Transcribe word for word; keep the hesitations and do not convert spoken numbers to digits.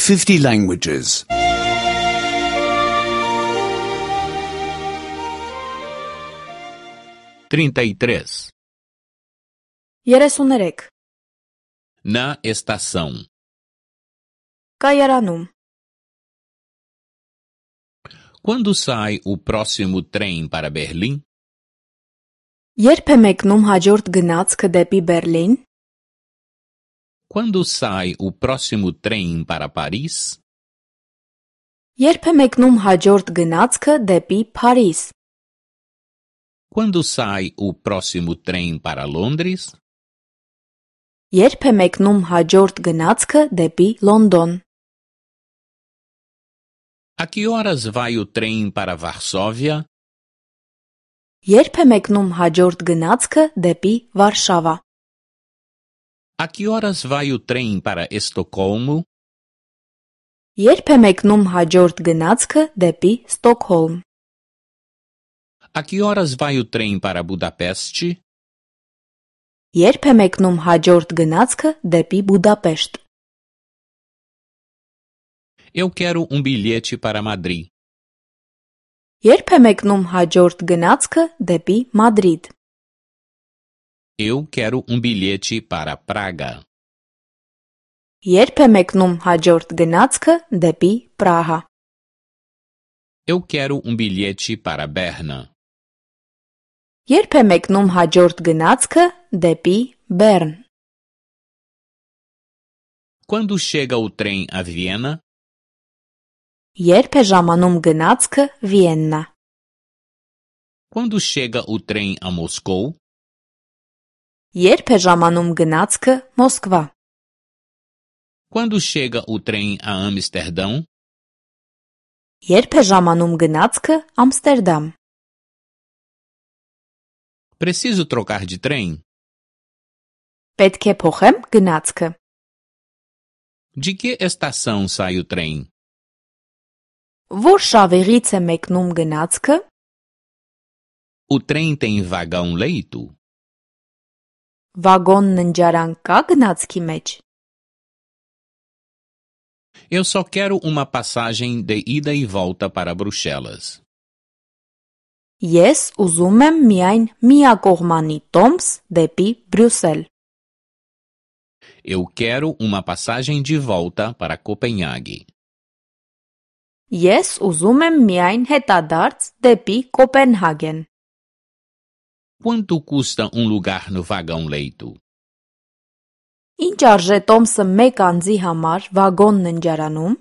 fifty languages. trinta e três. երեսուներեք Na estação. Կայարանում Quando sai o próximo trem para Berlim? Երբ է մեկնում հաջորդ գնացքը դեպի Բերլին? Quando sai o próximo trem para Paris? Երբ է մեկնում հաջորդ գնացքը դեպի Փարիզ? Quando sai o próximo trem para Londres? Երբ է մեկնում հաջորդ գնացքը դեպի Լոնդոն? A que horas vai o trem para Varsóvia? Երբ է մեկնում հաջորդ գնացքը դեպի Վարշավա? A que horas vai o trem para Estocolmo? Երբ է մեկնում հաջորդ գնացքը դեպի Ստոկհոլմ? A que horas vai o trem para Budapeste? Երբ է մեկնում հաջորդ գնացքը դեպի Բուդապեշտ? Eu quero um bilhete para Madrid. Երբ է մեկնում հաջորդ գնացքը դեպի Մադրիդ? Eu quero um bilhete para Praga. Երբ է մեկնում հաջորդ գնացքը դեպի Պրահա? Eu quero um bilhete para Berna. Երբ է մեկնում հաջորդ գնացքը դեպի Բեռն? Quando chega o trem a Viena? Երբ է ժամանում գնացքը Վիեննա? Quando chega o trem a Moscou? Երբ է ժամանում գնացքը Մոսկվա? Quando chega o trem a Amsterdão? Երբ է ժամանում գնացքը Ամստերդամ? Preciso trocar de trem? Պետք է փոխեմ գնացքը? De que estação sai o trem? Որ շավիղից է մեկնում գնացքը? O trem tem vagão leito? Վագոն ննջարան կա գնացքի մեջ? Eu só quero uma passagem de ida e volta para Bruxelas. Ես ուզում եմ միայն միակողմանի տոմս դեպի Բրյուսել. Eu quero uma passagem de volta para Copenhague. Ես ուզում եմ միայն հետադարձ դեպի Կոպենհագեն. Quanto custa um lugar no vagão leito? Ինչ արժե տոմսը մեկ անձի համար վագոն ննջարանում?